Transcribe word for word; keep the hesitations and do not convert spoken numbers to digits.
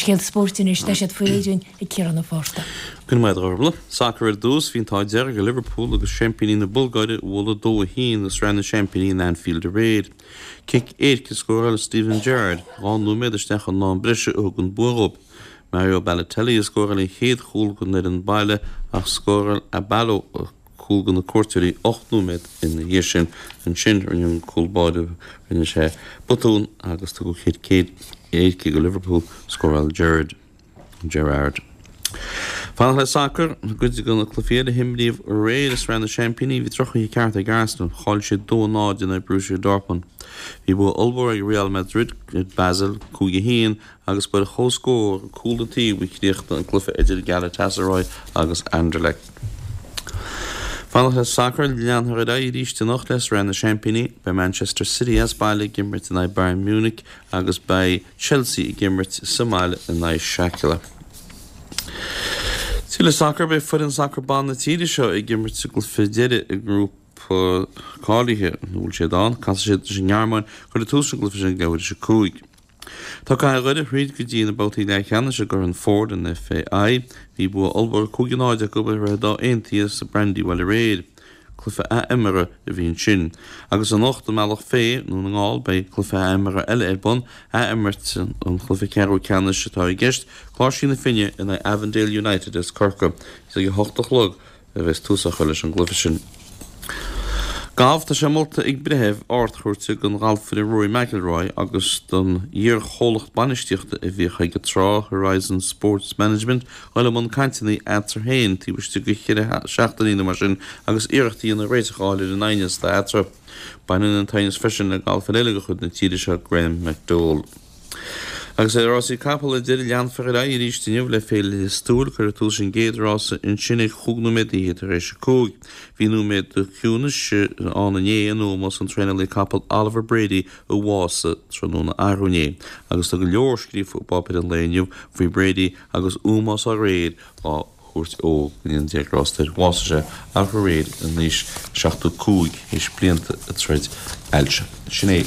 scéalta spóirt anois, tá siad faoi réir dúinn ag Ciarán Ó Fátharta. Go raibh maith agat, a Ghormfhlaith. Sacar ar dtús, bhí an t-ádh dearg ar Liverpool agus seaimpíní na Bulgáire a bhualadh dó a haon i Sraith na Seaimpíní in Anfield aréir. Cic éirice a scóráil Steven Gerrard dhá nóiméad isteach in am breise a thug an bua dhóibh. Mario Balotelli a scóráil an chéad chúl don fhoireann baile ach scóráil Abalo cúl do na cuairteoirí ocht nóiméad ina dhiaidh sin. Ansin rinne an cúl báire, rinne sé botún agus tugadh cic éirice do Liverpool, scóráil Gerrard. Gerrard. Fanacht le sacar, i gcuid de na cluichí eile a himríodh aréir i Sraith na Seaimpíní, bhí drochoíche ceart ag Arsenal, chaill siad dó a náid in aghaidh Borussia Dortmund. Bhí bua ollmhór ag Real Madrid ar Basel, cúig a haon, agus ba ar chomhscór cúl an taobh a chríochnaigh an cluiche idir Galatasaray agus Anderlecht. Fanacht le sacar, leanfar ar aghaidh arís anocht le Sraith na Seaimpíní. Beidh Manchester City as baile ag imirt in aghaidh Bayern Munich agus beidh Chelsea ag imirt sa mbaile in aghaidh Schalke. Tuilleadh sacair, beidh foireann sacair ban na tíre seo ag imirt sa gcluiche deiridh i ngrúpa cáilithe, nó bhfuil siad ann? Casfaidh siad leis an nGearmáin, cuirfear tús leis an gcluiche sin ag leathuair tar éis a cúig. Tá Cathair Dhoire thríd go dtí na babhtaí leathcheannais i gCorn Ford an FAI. Bhí bua ollmhór cúig a náid acu ar Dhroichead Átha Aontaithe sa Brandywell aréir. Cluiche athimeartha a bhí ansin. Agus anocht i mBealach Féich, i nDún na nGall, beidh cluiche athimeartha eile ar bun, athimirt an chluiche ceathrú ceannais atá i gceist, Cláirsigh na Finne in aghaidh Avondale United as Corcaigh. Is ag a hocht a chlog a bheas tús á chur leis an gcluiche sin. Galf, Tá sé molta ag breitheamh Ard-Chúirte don ghalfaire Rory McIlroy agus don iar-chomhlacht bainistíochta a bhíodh aige tráth, Horizon Sports Management, dul i mbun cainteanna eatarthu féin taobh istigh de cheithre seachtainí nó mar sin agus iarracht a dhéanamh réiteach a fháil ar an aighneas atá eatarthu. Baineann an t-aighneas freisin le galfaire eile de chuid na tíre seo, Graham McDowell. Agus ar rásaí capall ar deireadh, leanfar ar aghaidh arís inniu le Féile Lios Tuathail. Cuirfear tús leis an gcéad rása ansin ag chúig nóiméad d'fhichead tar éis a cúig. Bhí nóiméad de chiúnas ann inné in ómós an traenálaí capall Oliver Brady a bhásaigh tráthnóna arú inné. Agus tá go leor scríofa i bpáipéir an lae inniu faoi Brady agus ómós aréir á thabhairt ó go ndéana Dia grásta air. Bhásaigh sé aréir in aois seachtó cúig théis blianta ag troid ailse. Sin é.